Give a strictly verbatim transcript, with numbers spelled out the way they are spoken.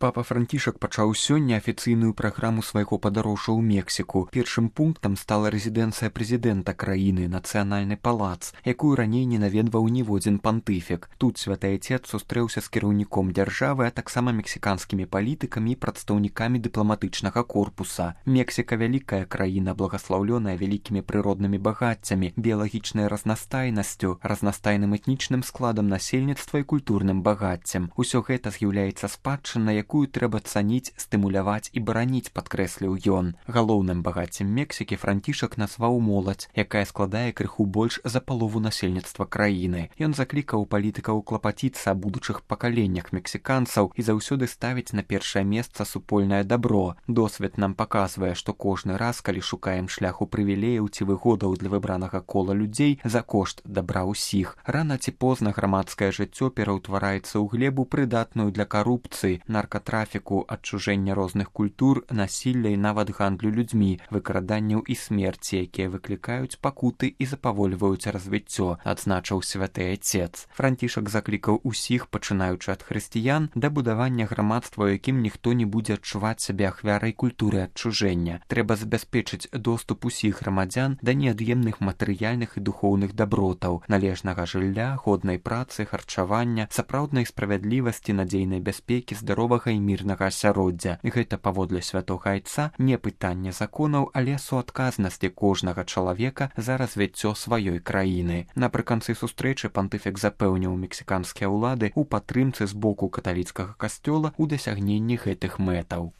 Папа Францішак пачаў сёння афіцыйную праграму свайго падарожжа ў Мексіку. Першым пунктам стала рэзідэнцыя прэзідэнта краіны, нацыянальны палац, якую раней не наведваў ніводзін пантыфік. Тут святы айцец сустрэўся з кіраўніком дзяржавы, а таксама мексіканскімі палітыкамі і прадстаўнікамі дыпламатычнага корпуса. Мексіка вялікая краіна, благаслаўлёная вялікімі прыроднымі багаццямі, біялагічнай разнастайнасцю, разнастайным этнічным складам насельніцтва і культурным багаццем. Усё гэта з'яўляецца спадчынай, якую трэба цаніць, стымуляваць і бараніць, падкрэсліў ён. Галоўным багаццем Мексікі Францішак назваў моладзь, якая складае крыху больш за палову насельніцтва краіны. Ён заклікаў палітыкаў клапаціцца о будучых пакаленнях мексіканцаў і заўсёды ставіць на першае месца супольнае дабро. Досвед нам паказвае, што кожны раз, калі шукаем шляху прывілеяў ці выгодаў для выбранага кола людзей за кошт дабра ўсіх, рана ці позна грамадскае жыццё пераўтвараецца ў глебу, прыдатную для карупцыі, наркатрафіку, адчужэння розных культур, насілля і нават гандлю людзьмі, выкраданняў і смерці, якія выклікаюць пакуты і запавольваюць развіццё, адзначыў святы айцец. Францішак заклікаў усіх, пачынаючы ад хрысціян, да будавання грамадства, у якім ніхто не будзе адчуваць сябе ахвярай культуры адчужэння. Трэба забяспечыць доступ усіх грамадзян да неад'емных матэрыяльных і духоўных дабротаў, належнага жылля, годнай працы, харчавання, сапраўднай справядлівасці, надзейнай бяспекі, здаровага і мірнага асяроддзя. Гэта, паводле святога айца, не пытанне законаў, але суадказнасці кожнага чалавека за развіццё сваёй краіны. Напрыканцы сустрэчы пантыфік запэўніў мексіканскія ўлады ў падтрымцы з боку каталіцкага касцёла ў дасягненні гэтых мэтаў.